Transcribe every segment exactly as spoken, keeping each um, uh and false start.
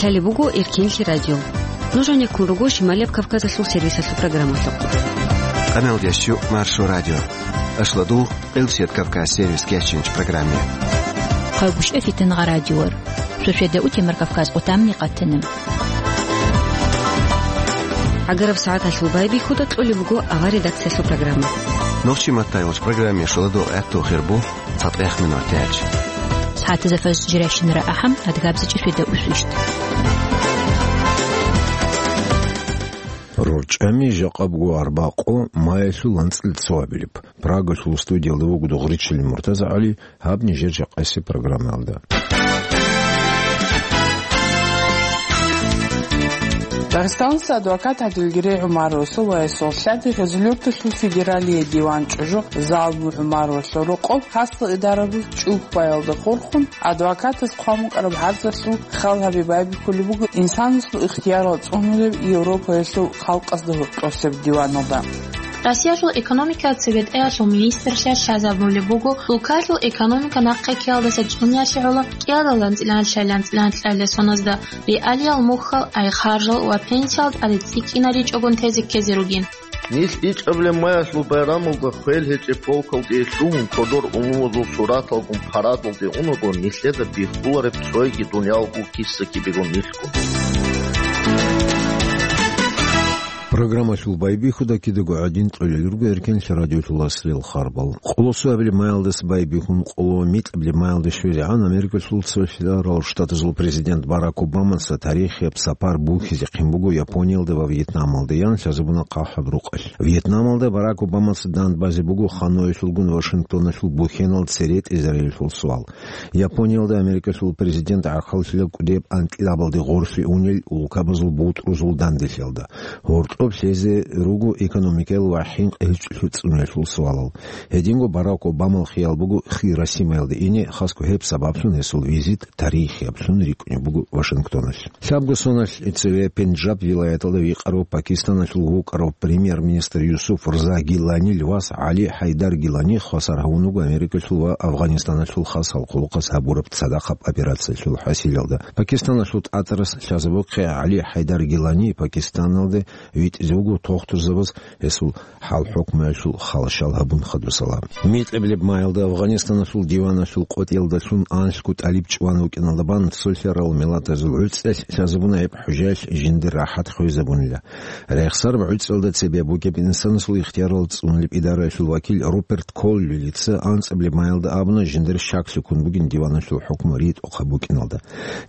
Лъалеб буго Эркенлъи радио. Нуж гьанеккун руго Шималияб Кавказалъул сервисалъул программалъухъ. Къаналдиясчу Маршо радио. Ашладу Элсет Кавказ сервис кечинч программе. Хъайбушев Фитнагъа радиор. Суседа утемар Кавказ отамни къатана. ГӀагараб сагӀаталъул байбихьуда кьолеб буго авар редакциялъул программа. Нохчи маттайолч программе шуладо гӀатту хирбу. ЦатӀех минут тяч. СагӀатазда фаз жиращинара ахӀам, адгабзичӀи светда усвищт. РорчӀами жакъабго арбакъо маялъул анцӀил цоабилеб. Прагалъул студиялда вуго Дугъричилин МуртазагӀали, гьаб нижер жакъасеб программаялда. Дагъистаналъ адвокат ГӀадилгерей ГӀумаровасул ва гьесул лъади Гъезулъюрталъул федералие диван чӀужу Залму ГӀумаровалъул рокъоб хасал идарабаз чӀухӀбаялда хурхун, адвокатас хъван букӀараб гӀарзалъул хал гьаби байбихьулеб буго инсанасул ихтиярал цӀунулеб Европаялъул халкъазда гьоркьосеб диваналда. Россиялъул экономикаялъ цебетӀеялъул министрлъиялъ лъазабулеб буго, улкалъул экономика нахъе ккеялдаса чӀунеялъе гӀоло кӀиялдал анцӀила анлъайилан анцӀила анлъайиласуназда реалиял мухьал, айхаржал ва пенсиял тӀаде цӀикӀкӀинаричӀогун тезе ккезе ругин. Нилъ ичӀабилеб маялъул байрамалда хвел гьечӀеб полкалде лъугьун, кодор унувазул сураталгун парадалде унаго, нилъеда биххулареб цойги дуниял гуккиса кибего нилъго. Программалъул байбихьуда кидаго гӀадин кьолел руго Эркенлъи радиолъул аслияб харбал. Къоло цоабилеб маялдаса байбихьун къоло микьабилеб маялда щвезегӀан Америкалъул Цолъарал Штатазул президент Барак Обамаца тарихияб сапар бухьизехъин буго Япониялда ва Вьетнамалда, ян лъазабуна хъахӀаб рукъалъ. Вьетнамалда Барак Обамаца дандбазе буго Ханойлъулгун Вашингтоналъул бухьенал цере тӀезариялъул суал. Япониялда Америкалъул президент гӀахьаллъила кӀудияб анкьидабалде гъорлъе унел улкабазул бутӀрузул данделъиялда. Гьоркьоб лъезе руго экономикаял ва хӀинкъи гьечӀолъи цӀуниялъул суалал. Гьединго Барак Обамал хиял буго Хиросимаялде ине, хасго гьеб сабаблъун гьесул визит тарихияб лъун рикӀкӀунеб буго Вашингтоналъ. Лъабго соналъ цеве Пенджаб вилаяталда вихъарав Пакистаналъул вукӀарав премьер-министр Юсуф Рза Гиланил вас ГӀали ХӀайдар Гилани хвасар гьавун вуго Америкалъул ва Афгъанистаналъул хасал хъулухъас гьабураб цадахъаб операциялъул хӀасилалда. Пакистаналъул тӀатӀарас лъазабухъе ГӀали ХӀайдар Гилани Пакистаналде витӀизе вуго тохтурзабаз гьесул хӀал-хӀукмуялъул халащал гьабун хадусала. Микьабилеб маялда Афгъанистаналъул диваналъул къотӀиялдалъун анлъго тӀалиб чӀван вукӀиналда бан цолъарал миллатазул гӀуцӀелъ лъазабуна гьеб хӀужаялъ жиндир рахӀат хвезабунила. Рехсараб гӀуцӀалда цебе бугеб инсанасул ихтиярал цӀунулеб идараялъул вакил Руперт Коллилица анцӀабилеб маялда абуна жиндир щаклъи ккун бугин диваналъул хӀукму ритӀухъаб букӀиналда.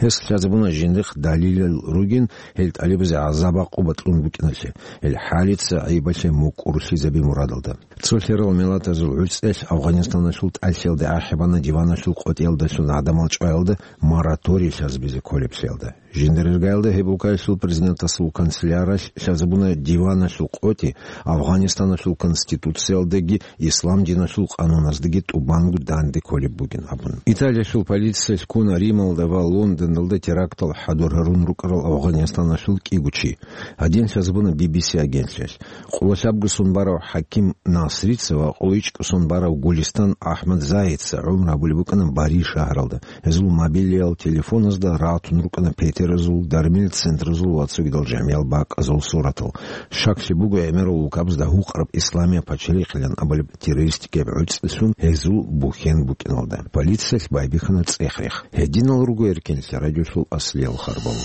Гьес лъазабуна жиндихъ далилал ругин гьел тӀалибазе гӀазаб-гӀакъуба кьун букӀиналъе, гьел хӀалица гӀайибалъе мукӀурлъизаби мурадалда. Цолъарал миллатазул гӀуцӀелъ Афгъанистаналъул тӀалъиялда ахӀи бана диваналъул къотӀиялдалъун гӀадамал чӀваялда мораторий лъазабизе кколеблъиялда. Жиндир иргаялда гьеб улкаялъул президентасул канцеляралъ лъазабуна диваналъул къотӀи Афгъанистаналъул конституциялдаги ислам диналъул къануназдаги тӀубанго данде кколеб бугин абун. Италиялъул полициялъ ккуна Рималда ва Лондоналда терактал хӀадур гьарун рукӀарал Афгъанистаналъул кӀиго чи. Гьадин лъазабуна Би Би Си агентлъиялъ. Къоло лъабго сон барав ХӀаким Насрица ва къоло ичӀго сон барав Гулистан АхӀмадзагьица гӀумру гьабулеб букӀана Бари шагьаралда. Гьезул мобилиял телефоназда ратун рукӀана петеразул, дармил центразул ва цогидал жамиял бакӀазул суратал. Щаклъи буго, гӀемерал улкабазда гьукъараб Исламияб пачалихъилан абулеб террористикияб гӀуцӀилъун гьезул бухьен букӀиналда. Полициялъ байбихьана цӀех-рех. Гьединал руго Эркенлъи радиолъул аслиял харбал.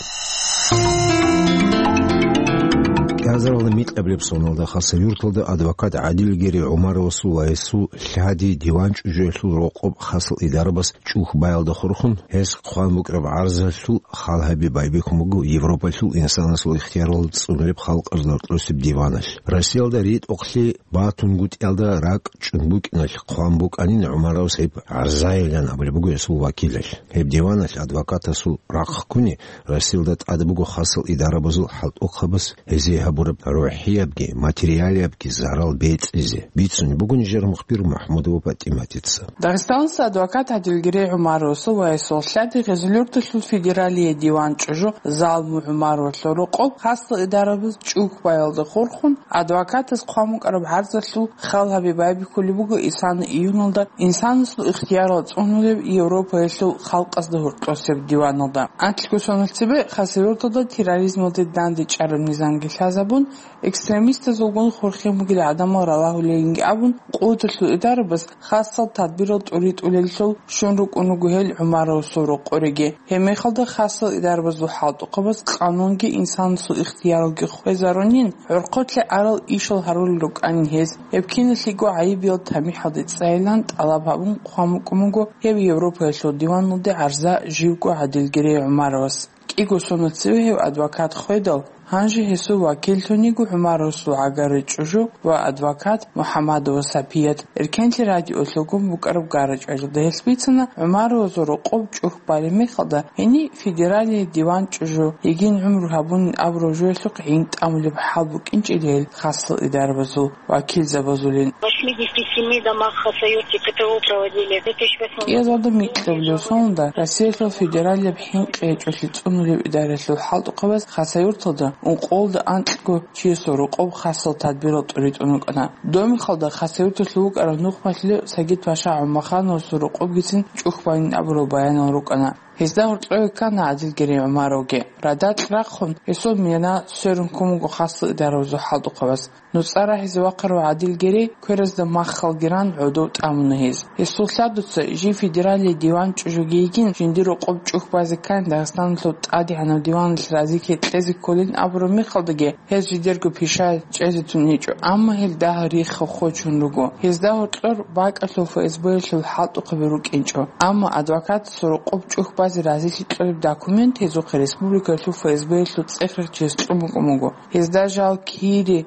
КӀиазаралда микьабилеб соналда Хасавюрталда адвокат ГӀадилгерей ГӀумаровасул ва гьесул лъади диван чӀужуялъул рокъоб хасал идарабас чӀухӀбаялда хурхун, гьес хъван букӀараб гӀарзалъул хал гьаби байбихьун буго Европалъул инсанасул ихтиярал цӀунулеб халкъазда гьоркьосеб диваналъ. Россиялда ритӀухълъи батунгутӀиялда ракӀ чӀун букӀиналъ хъван букӀанин ГӀумаровас гьеб гӀарзайилан абулеб буго гьесул вакилалъ. Гьеб диваналъ адвокатасул рахъ ккуни Россиялда тӀад буго хасал идарабазул хӀалтӀухъабаз гьезие гьаб гьабураб рухӀиябги материалиябги зарал бецӀизе, бицунеб буго нижер мухбир МухӀаммадова ПатӀиматица. Дагъистаналъ адвокат ГӀадилгерей ГӀумаровасул ва гьесул лъади Гъезулъюрталъул федералие диван чӀужу Залму ГӀумаровалъул рокъоб хасал идарабаз чӀухь баялда хурхун, адвокатас хъван букӀараб гӀарзалъул хал гьабе байбихьулеб буго исана июналда инсанасул ихтиярал цӀунулеб Европаялъул халкъазда гьоркьосеб диваналда. Анкьго соналъ цебе Хасавюрталда терроризмалде дандечӀараб низамги лъазабун, экстремистазулгун хурхин бугел гӀадамал ралагьулелинги абун, къуваталъул идарабаз хасал тадбирал тӀуритӀулеллъул щун рукӀун руго гьел ГӀумаровасул рокъориги. Гьеб мехалда хасал идарабазул хӀалтӀухъабаз къанунги инсанасул ихтияралги хвезарунин, гӀорхъолъе арал ишал гьарулел рукӀанин гьез. Гьеб киналъего гӀайибиял тамихӀалде цӀайилан тӀалаб гьабун хъван букӀун буго гьеб Европаялъул диваналде гӀарза живго ГӀадилгерей ГӀумаровас. КӀиго соналъ цеве гьев адвокат хведал, гьанже гьесул вакиллъун йиго ГӀумаровасул гӀагаррай чӀужу ва адвокат МухӀаммадова Сапият. Эркенлъи радиолъулгун букӀараб гарачӀалда гьелъ бицана, ГӀумаровазул рокъоб чӀухь балеб мехалда, гьениб федералие диван чӀужу, йигин гӀумру гьабунин абураб жоялъухъ гӀин тӀамулеб хӀал букӀинчӀила гьел хасал идарабазул вакилзабазулин. В восьмидесяти семи домах Хасавюрте ПТО проводили. В две тысячи восьмом году. КӀиязалда микьабилеб соналда Россиялъул федералияб хӀинкъи гьечӀолъи цӀунулеб идаралъул хӀалтӀухъабаз Хасавюрталда ункъоялда анкьго чиясул рокъоб хасал тадбирал тӀуритӀун рукӀана. Домихалда Хасавюрталъув вукӀарав нухмалъулев Сагид-паша ГӀумахановасул рокъобгицин чӀухь байин абурал баянал рукӀана. Гьезда гьоркьове ккана ГӀадилгерей ГӀумаровги. Радакь рахъун, гьесул мина сверун ккун буго хасал идарабазул хӀалтӀухъабаз. НуцӀа рагьизе вахъарав ГӀадилгерей кверазда маххалги ран гӀодов тӀамуна гьез. Гьесул лъадуца жив федералие диван чӀужуги йигин, жиндир рокъоб чӀухь базе ккани Дагъистаналъул ТӀадегӀанаб диваналъ разилъи кьезе кколин абураб мехалдаги, гьез жидерго пишаялъ чӀезе тун гьечӀо, амма гьел дагьал рихха хочун руго. Гьезда гьоркьор бакӀалъул ФСБ-ялъул хӀалтӀухъаби рукӀинчӀо, амма адвокатасул рокъоб чӀухь базе разилъи кьолеб документ гьезухъе республикаялъул ФСБ-ялъул цӀех-рехчияс цӀун букӀун буго. Гьезда жал кири,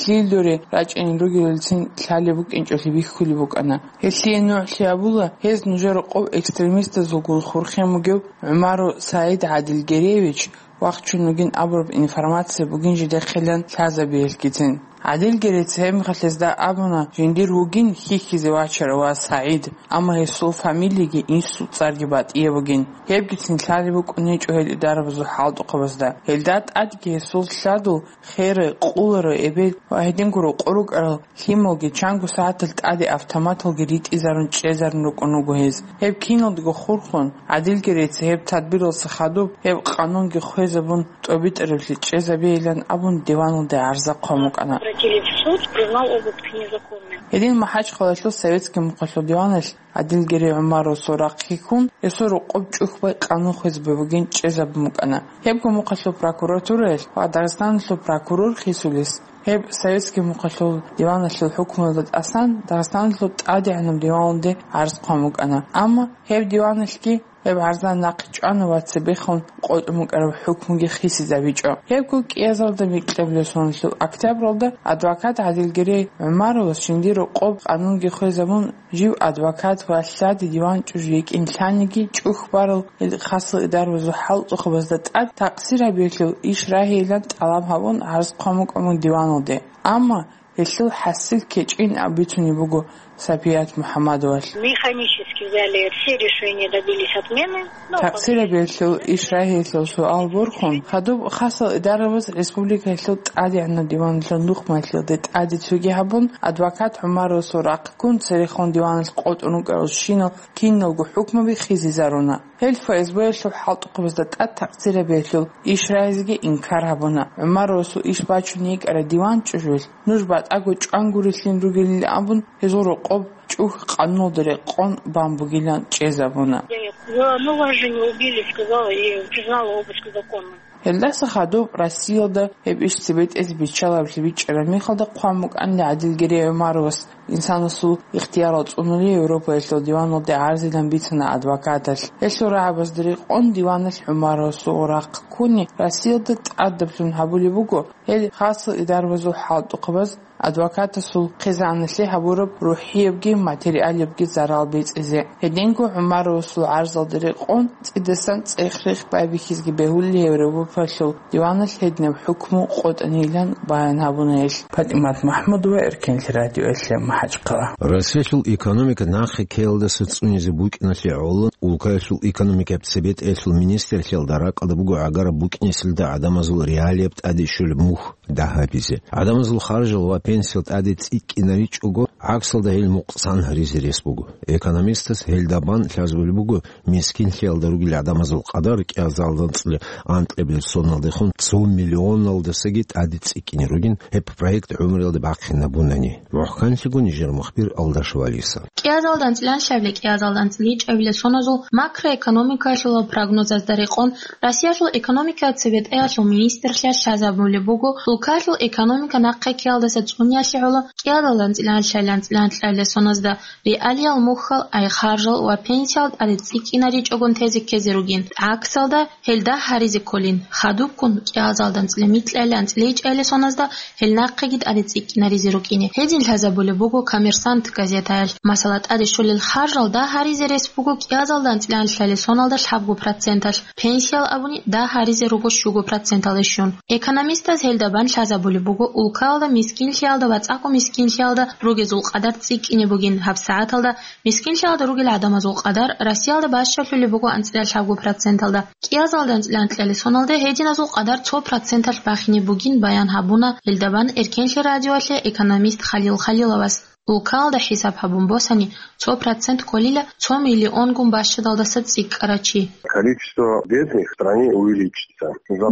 лъил дуре рачӀинел ругелалцин лъалеб букӀинчӀолъи бихьулеб букӀана. Гьелъие нугӀлъи абула, гьез нужер рокъоб экстремистазулгун хурхин бугев ГӀумаров СагӀид ГӀадилгереевич вахчун вугин абураб информация бугин жидехъилан лъазабиялъгицин. ГӀадилгерейца гьеб мехалъ гьезда абуна, жиндир вугин хьихьизе вачарав ва СагӀид, амма гьесул фамилиги инсул цӀарги батӀияб бугин. Гьебгицин лъалеб букӀун гьечӀо гьел идарабазул хӀалтӀухъабазда. Гьелда тӀадги гьесул лъадул херай, къуларай эбел ва гьединго рокъор рукӀарал лъималги чанго сагӀаталъ тӀаде автоматалги ритӀизарун чӀезарун рукӀун руго гьез. Гьеб киналдаго хурхун, ГӀадилгерейца гьеб тадбиралдаса хадуб гьеб къанунги хвезабун, тӀобитӀарабли чӀезабейилан абун диваналде гӀарза хъван букӀана. Обратились в суд, признал обыск незаконным. Гьедин МахӀачхъалаялъул советский мухъалъул диваналъ ГӀадилгерей ГӀумаровасул рахъги ккун, гьесул рокъоб чӀухь бай къанун хвезабе бугин чӀезабун букӀана. Гьебго мухъалъул прокуратураялъ ва Дагъистаналъул прокурор хисулес, гьеб советский мухъалъул диваналъул хӀукмуялда тӀасан Дагъистаналъул ТӀадегӀанаб диваналде гӀарз хъван букӀана. Амма гьеб диваналъги гьеб гӀарза нахъе чӀвана ва цебехун къотӀун букӀараб хӀукмуги хисизабичӀо. Гьебго кӀиязалда микьабилеб соналъул октябралда адвокат ГӀадилгерей ГӀумаровас жиндир рокъоб къанунги хвезабун, жив адвокат ва лъади диван чӀужу йикӀин лъаниги, чӀухь барал хасал идарабазул хӀалтӀухъабазда тӀад такъсир гьабиялъул иш рагьейилан тӀалаб гьабун гӀарз хъван букӀун диваналде. Амма гьелъул хӀасил кечӀин абицунеб буго Сапият МухӀаммадовалъ. Механически взяли все решения, добились отмены. Ну, такъсир гьабиялъул иш рагьейилъул суал борхун, хадуб хасал идарабаз республикаялъул ТӀадегӀанаб диваналъул нухмалъулде тӀаде цоги гьабун, адвокат ГӀумаровасул рахъ ккун церехун диваналъ къотӀун рукӀарал щинал киналго хӀукмуби хисизаруна. Гьел ФСБ-ялъул хӀалтӀухъабазда тӀад такъсир гьабиялъул иш рагьизеги инкар гьабуна. ГӀумаровасул иш бачун йикӀарай диван чӀужуялъ нуж батӀаго чӀван гурелъин ругелин абун, гьезул рокъоб чӀухь къануналда рекъон бан бугилан чӀезабуна. Я, я. Ну, вас же не убили, сказала и признала обыск законным. Гьелдаса хадуб Россиялда гьеб иш цебе тӀезе биччалаблъи бичӀчӀараб мехалда хъван букӀанила ГӀадилгерей ГӀумаровас, инсанасул ихтиярал цӀунули Европаялъул диваналде гӀарзилан бицана адвокаталъ. Гьелъул рагӀабазда рекъон диваналъ ГӀумаровасул рахъ ккуни Россиялда тӀадаблъун гьабулеб буго гьел хасал идарабазул хӀалтӀухъабаз адвокатасул хъизаналъе гьабураб рухӀиябги материалабги зарал бецӀизе. Гьединго ГӀумаровасул гӀарзалда рекъон цӀидасан цӀех-рех байбихьизги бегьулел Европалъул диваналъ гьединаб хӀукму къотӀанилан баян гьабуна гьелъ. ПатӀимат МахӀмудова, Эркенлъи радиоялъе, МахӀачхъала. Россиялъул экономика нахъе ккеялдаса цӀунизе букӀиналъе гӀоло, улкаялъул экономикаяб цебетӀеялъул министрлъиялда ракӀалда буго гӀагараб букӀинесилда гӀадамазул реалияб тӀаде щолеб мухь дагь гьабизе. ГӀадамазул харжал ва пенсиял тӀаде цӀикӀкӀинаричӀого, гӀаксалда гьел мукъсан гьаризе рес буго. Экономистас гьелда бан лъазабулеб буго мискинлъиялда ругел гӀадамазул къадар кӀиазалда анцӀила анкьабилеб соналдехун цо миллионалдасаги тӀаде цӀикӀкӀине ругин, гьеб проект гӀумруялда бахъинабунани. МухӀканлъиго нижер мухбир Алдашев Алиса. КӀиазалда анцӀила анлъабилеб, кӀиазалда анцӀила ичӀабилеб соназул макроэкономикаялъул прогнозазда рекъон, Россиялъул экономикаялъул цебетӀеялъул министрлъиялъ лъазабулеб буго, улкаялъул экономика нахъе ккеялдаса цӀуниялъе гӀоло, кӀиазалда анцӀила анлъабилеб, анцӀила анлъабилеб соназда реалиял мухьал, ай харжал ва пенсиял тӀаде цӀикӀкӀинаричӀогун тезе ккезе ругин. ГӀаксалда, гьел дагь гьаризе кколин, хадубккун кӀиазалда анцӀила микьайилан анцӀила ичӀайилан соназда гьел нахъеги тӀаде цӀикӀкӀинаризе рукӀине. Гьедин лъазабулеб буго «Коммерсант» газетаялъ. Масала, тӀаде щолел харжал дагь гьаризе рес буго кӀиазалда анцӀила анлъабилеб соналда лъабго проценталъ, пенсиял абуни дагь гьаризе руго щуго проценталде щун. Экономистаз гьелда бан лъазабулеб буго улкаялда мискинлъиялда ва цӀакъго мискинлъиялда ругезул къадар цӀикӀкӀине бугин, гьабсагӀаталда мискинлъиялда ругел гӀадамазул къадар Россиялда бащалъулеб буго анцӀила лъабго проценталда. КӀиазалда анцӀила анлъабилеб соналда гьединазул къадар цо проценталъ бахине бугин баян гьабуна гьелда бан Эркенлъи радиоялъе экономист Халил Халиловас. Улкаялда хӀисаб гьабун босани, цо процент кколила цо миллионгун бащадалдаса цӀикӀкӀарав чи. Количество бедных в стране увеличится.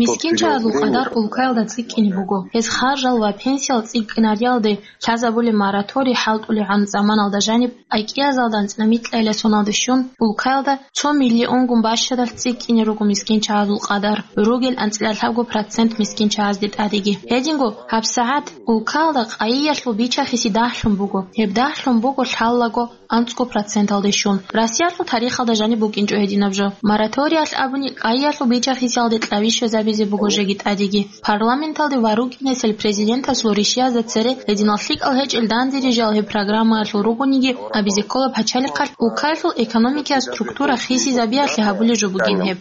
МискинчагӀазул къадар улкаялда цӀикӀкӀине буго. Гьез харжал ва пенсиял цӀикӀкӀинариялде лъазабулеб мораторий хӀалтӀулебгӀан заманалда жаниб, ай кӀиазалда анцӀила микьайилан соналде щун, улкаялда цо миллионгун бащадалъ цӀикӀкӀине руго мискинчагӀазул къадар, ругел анцӀила лъабго процент мискинчагӀазде тӀадеги. Гьединго гьабсагӀат улкаялда къайиялъул бичахиси дагьлъун буго. Гьеб дагьлъун буго лъаллаго анцӀго проценталде щун. Россиялъул тарихалда жаниб букӀинчӀо гьединаб жо. Мораториялъ абуни, къайиялъул бичахисиялде кьаби щвезабизе буго жеги тӀадеги. Парламенталде ва рукӀинесел президентасул ришиязда цере гьединал лъикӀал гьечӀел данде рижал гьеб программаялъул ругониги, абизе ккола пачалихъалъ улкаялъул экономикияс структура хисизабиялъе гьабулеб жо бугин гьеб.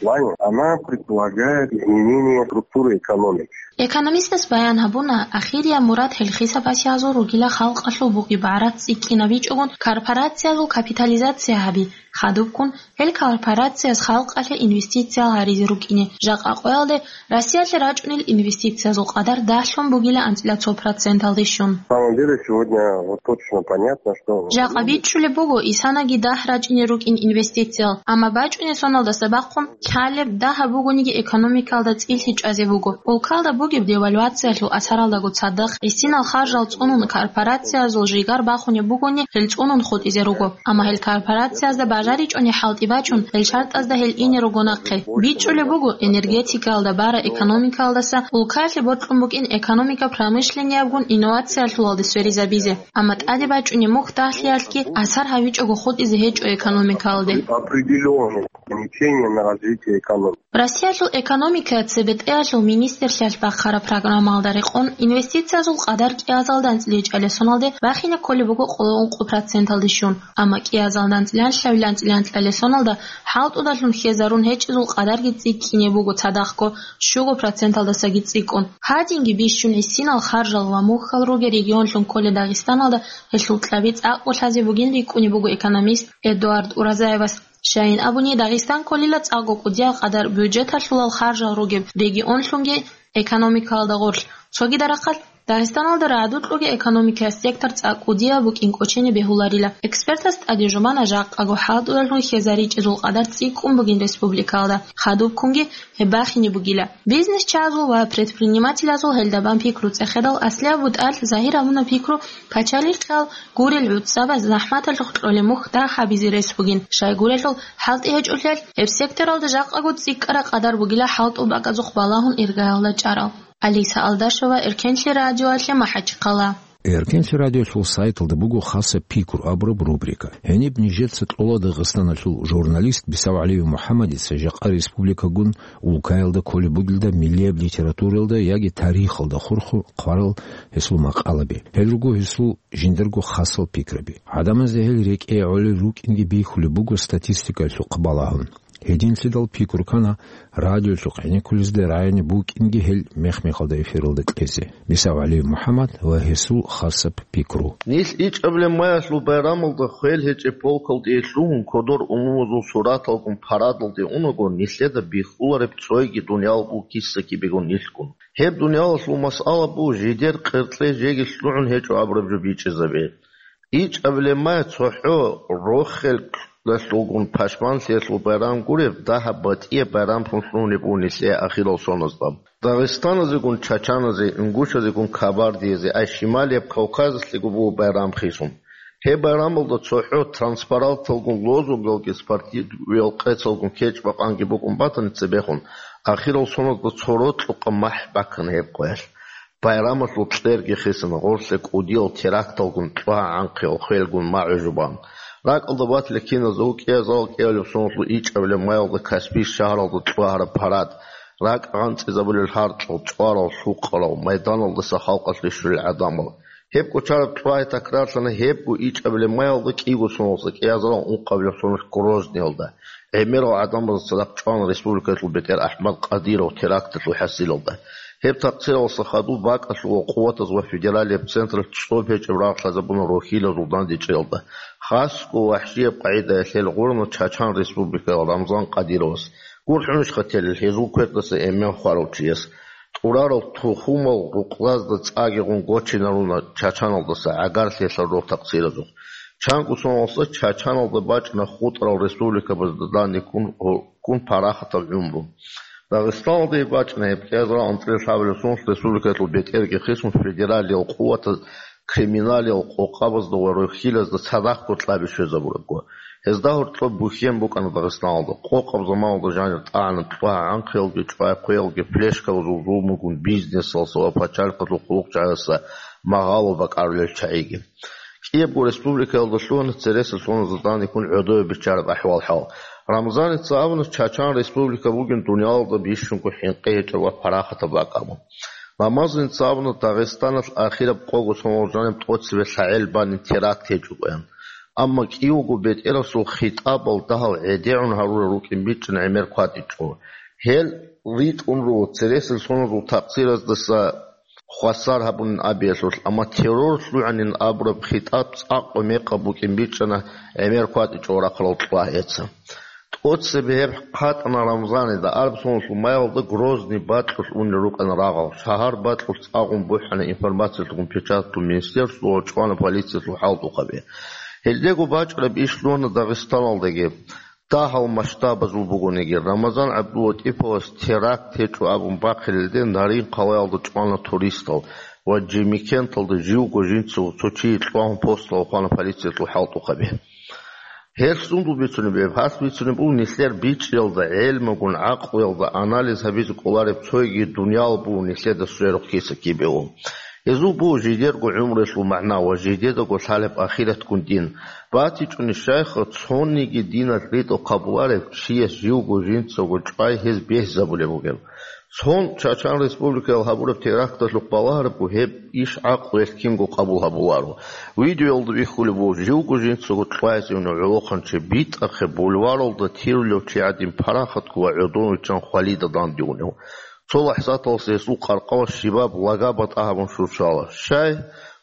Она предполагает изменение структуры экономики. Экономистас баян гьабуна, ахирияб мурад гьел хисабасиязул ругила халкъалъул бугеб гӀарац цӀикӀкӀинабичӀогун корпорациязул капитализация гьаби, хадубккун гьел корпорацияз халкъалъе инвестициял гьаризе рукӀине. Жакъа къоялде Россиялъе рачӀунел инвестициязул къадар дагьлъун бугила анцӀила цо проценталде щун. На самом деле сегодня вот точно понятно, что... Жакъа бичӀчӀулеб буго исанаги дагь рачӀине рукӀин инвестициял, амма бачӀунеб соналдаса бахъун лъалеб дагь бугониги экономикалда цӀилъи чӀвазе буго. Улкалда бугеб девальвациялъул асаралдаго цадахъ гӀисинал харжал цӀунун корпорациязул жигар бахунеб бугони, гьел цӀунун хутӀизе руго. Амма гьел корпорациязда бажаричӀони хӀалтӀи бачун, гьел шартӀазда гьел ине руго нахъе. БичӀчӀулеб буго, энергетикаялда бара экономикаялдаса улкаялъе бокьун букӀин экономика промышленниябгун инновациялъулалде сверизабизе. Амма тӀаде бачӀунеб мухь дагьлъиялъги асар гьабичӀого хутӀизе гьечӀо экономикаялде. Определённые ограничения на развитие экономики. Россиялъул экономикая цебетӀеялъул министрлъиялъ бахъараб программаялда рекъон, инвестициязул къадар кӀиазалда анцӀила ичӀалесоналде бахине кколеб буго къоло ункъо проценталде щун, амма кӀиазалда анцӀила анлъабилан анцӀила анлъалесоналда хӀалтӀудалъун хьезарун гьечӀезул къадарги цӀикӀкӀине буго цадахъго щуго проценталдасаги цӀикӀкӀун. Гьадинги бищун гӀисинал харжал ва мухьал ругел регионлъун кколел Дагъистаналда гьелъул кьаби цӀакъго лъазе бугин рикӀкӀунеб буго экономист Эдуард Уразаевас. Щайин абуни, Дагъистан кколила цӀакъго кӀудияб къадар бюджеталъулал харжал ругеб регионлъунги экономикаялда гъорлъ. Цогидаб рахъалъ Дагъистаналда рагӀдукьуги экономикаялъ сектор цӀакъ кӀудияб букӀин кӀочене бегьуларила. Экспертас тӀаде жубана жакъаго хӀалтӀудалъун хьезаричӀезул къадар цӀикӀкӀун бугин республикаялда, хадубккунги гьеб бахине бугила. Бизнесчагьазул ва предпринимателазул гьелда бан пикру цӀехедал аслияб бутӀалъ загьир абуна пикру пачалихъал гурел гӀуцӀабаз захӀматалъухъ кьолеб мухь дагь гьабизе рес бугин, щайгурелъул хӀалтӀи гьечӀолъиялъ, гьеб секторалда жакъаго цӀикӀкӀараб къадар бугила хӀалтӀул бакӀазухъ балагьун иргаялда чӀарал. Алиса Алдашева, Эркенлъи радиоялъе, МахӀачхъала. Эркенлъи радиолъул сайталда буго хасаб пикру абураб рубрика. Гьениб нижеца кьола Дагъистаналъул журналист БисагӀалиев МухӀаммадица жакъа республикагун улкаялда кколеб бугелда миллияб литературалда яги тарихалда хурхун хъварал гьесул макъалаби. Гьел руго гьесул жиндирго хасал пикраби. ГӀадамазда гьел рекӀее гӀолел рукӀинги бихьулеб буго статистикаялъухъ балагьун. Гьединлъидал пикру ккана радиолъухъ гӀенеккулезда рагӀине букӀинги гьел мех-мехалда эфиралда кьезе. БисагӀалиев МухӀаммад ва гьесул хасаб пикру. Нилъ ичӀабилеб маялъул байрамалда хвел гьечӀеб полкалде лъугьун кодор унумазул сураталгун парадалде унаго, нилъеда бихьулареб цойги дуниял бугисаки бегун нилъгун. Гьеб дуниялалъул масъала буго жидер къеркье жеги лъугӀун гьечӀо абураб жо бичӀчӀизабе. ИчӀабилеб май цохӀо рохелдалъулгун пашманлъиялъул байрам гуреб, дагьаб батӀияб байрамлъун лъугьунеб буго нилъее ахирал соназда. Дагъистаназегун чачаназе, ингушазегун кабардиязе, ай Шималияб Кавказалъего буго байрам хисун. Гьеб байрамалда цохӀо транспаранталгун, лозунгуялги спортивиял къецалгун кечӀ-бакъанги букӀун батани цебехун, ахирал соназда цо рокьукъа махӀ баккана гьеб къоялъ. Байрамалъул кьерги хисана, гъорлъе кӀудиял теракталгун, цӀва гӀанхъиял хвелгун магӀужу бан. РакӀалда батила киназул кӀиазал кӀиабилеб соналъул ичӀабилеб майалда Каспий шагьаралда цӀва гьараб парад, ракӀ гъанцӀизабулел гьаркьал, чӀварал, лъукъарал, майданалдаса халкъалъ рищулел гӀадамал. Гьеб кочараб цӀвай такрарлъана гьебго ичӀабилеб майалда кӀиго соналъа кӀиазарал ункъабилеб соналъ Грозныйалда. ГӀемерал гӀадамазда цадахъ чӀвана республикаялъул бетӀер АхӀмад Къадиров теракталъул хӀасилалда. Гьеб такъсиралдаса хадуб бакӀалъула къуватаз ва федералияб централъ цӀоб гьечӀеб рагъ лъазабуна рохьилазул дандечӀеялда. Хасго вахӀшияб къагӀидаялъ гьел гъурана Чачан Республикаялъ Рамзан Къадировас. ГурхӀунищха телел гьезул квердаса эмен хварав чияс? ТӀурарал тухумал рукъзазда цӀагигъун гочинаруна Чачаналдаса гӀагарлъиялъул рогь такъсиразухъ. Чанго соналъа Чачаналда бачӀана хутӀарал республикабазда данде ккун, ккун парахатаб гӀумру. Дагъистаналда гьеб бачӀана гьеб кӀиазарал анцӀила лъабабилеб соналъ республикаялъул бетӀерги хисун федералиял къуватаз криминалиял къокъабазда ва рохьилазда цадахъго кьаби щвезабурабго. Гьезда гьоркьоб бухьен букӀана Дагъистаналда. Къокъаб заманалда жанир тӀагӀана цӀва гӀанхъиялги, чӀвай хъвеялги, флешкабазул зулмугун бизнесалъа ва пачалихъалъул хъулухъчагӀаздаса магъало бакӀарулел чагӀиги. КӀиябго республикаялда лъугьана цересел соназда данде ккун гӀодове биччараб ахӀвал-хӀал. Рамзаница абуна, Чачан Республика бугин дуниялалда бищунго хӀинкъи гьечӀеб ва парахатаб бакӀ абун. Рамазаница абуна, Дагъистаналъ ахираб къого соналъ жаниб тӀоцебе лъагӀел бани теракт гьечӀогоян. Амма кӀиявго бетӀерасул хитӀабал дагьал гӀедегӀун гьарурал рукӀин бичӀчӀана гӀемер кватӀичӀо. Гьел ритӀун руго цересел соназул такъсираздаса хвасар гьабунин абиялъулъ, амма террор лъугӀанин абураб хитӀаб цӀакъго мекъаб букӀин бичӀчӀана гӀемер кватӀичӀо рахъарал цӀва гьеца. ТӀоцебе гьеб хъатӀана Рамзанида, араб соналъул майалда Грозный бакьулъ унел рукӀана рагъал, шагьар бакьулъ цӀагъун бухӀана информациялъулгун печаталъул министерствоялъ ва чӀвана полициялъул хӀалтӀухъаби. Гьелдего бачӀараб иш лъугьана Дагъистаналдаги. Дагьал масштабазул бугониги, Рамазан ГӀабдулатӀиповас теракт гьечӀо абун бахъиналде Нарин-къалаялда чӀвана туристал ва Жемикенталда живго жинцаго цо чияс кьвагьун посталда хвана полициялъул хӀалтӀухъаби. Гьелъ сундул бицунеб гьеб? Гьалъ бицунеб буго нилъер бичӀчӀиялда, гӀелмугун, гӀакълуялда анализ гьабизе кӀолареб цойги дуниял буго нилъеда сверухъ киса кибе. Гьезул буго жидерго гӀумруялъул магӀна ва жидедаго лъалеб ахиратгун дин. БатичӀони щайха, цониги диналъ ритӀухъ къабуларев чияс живго жинцаго чӀвай гьез бегьизабулеб бугеб. Цон Чачан Республикаялъ гьабураб теракталъухъ балагьарабго гьеб иш гӀакълуялъ кинго къабул гьабуларо. Видеоялда бихьулеб буго живго жинцаго кьвайзе унев гӀолохъанчи битӀахъе бульваралда тирулев чи гӀадин парахатго ва гӀодов виччан хвалида дандеунев. Цо лахӀзаталъ гьесул къаркъала щибаб лага батӀа гьабун щурчӀала. Щай?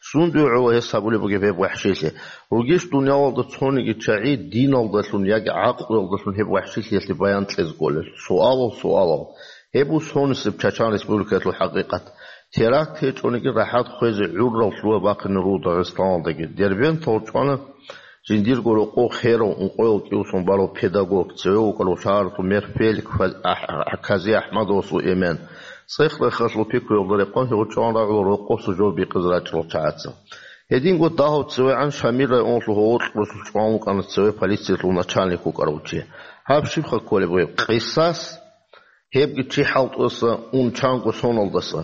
Сундуе гӀоло гьес гьабулеб бугеб гьеб вахӀшилъи? Ругищ дуниялалда цониги чагӀи диналдалъун яги гӀакълуялдалъун гьеб вахӀшилъиялъе баян кьезе кколел? Суалал, суалал. Гьеб буго сонисеб Чачан Республикаялъул хӀакъикъат. Теракт гьечӀониги рахӀат хвезе гӀуррал лъугьа-бахъине руго Дагъистаналдаги. Дербенталда чӀвана жиндирго рокъов херав ункъоял кӀиго сон барав педагог, цеве вукӀарав шагьаралъул мэр Фелик Фа-, АхӀ-, Кази АхӀмадовасул эмен. ЦӀех-рехалъул пикруялда рекъон гьев чӀван рагӀула рокъоса жо бикъизе рачӀарал чагӀаца. Гьединго дагьав цевегӀан Шамил районалъул гьоло кьурасул чӀван вукӀана цеве полициялъул начальник вукӀарав чи. Гьаб щибха кколеб гьеб? Къисас? Гьебги чи хӀалтӀуса ун чанго соналдаса.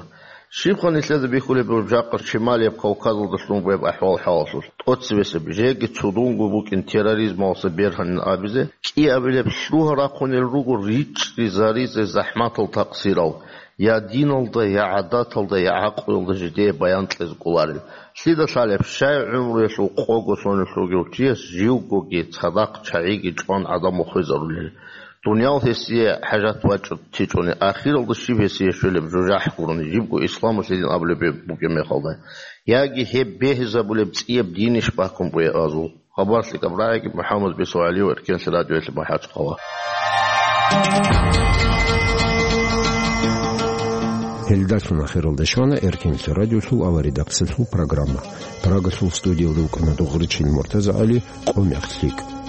Щибха нилъеда бихьулеб бугеб жакъа Шималияб Кавказалда лъун бугеб ахӀвал-хӀалалъулъ? ТӀоцебесеб, жеги цудунго букӀин терроризмалдаса бергьанин абизе, кӀиабилеб лъугьа рахъунел руго ричӀчӀизаризе захӀматал такъсирал, я диналда, я гӀадаталда, я гӀакълуялда жидее баян кьезе кӀоларел. Лъида лъалеб, щай гӀумруялъул къого сонелъ ругев чияс живгоги цадахъ чагӀиги чӀван гӀадамал хвезарулел? Дуниял гьесие хӀажат бачӀун тичӀони, ахиралда щиб гьесие щвелеб жужахӀ гурони, жибго исламалъе дин абулеб букӀин мехалда? Яги гьеб бегьизабулеб цӀияб динищ баккун бугеб азул? Хабар лъикӀаб рагӀиги, МухӀаммад Бесо ГӀалиев, Эркенлъи радиоялъе, МахӀачхъала. Гьелдалъун ахиралда щвана Эркенлъи радиолъул аваридаксалъул программа. Прагалъул студиялда вукӀана Дугъричил МуртазагӀали. Къо мех лъикӀ.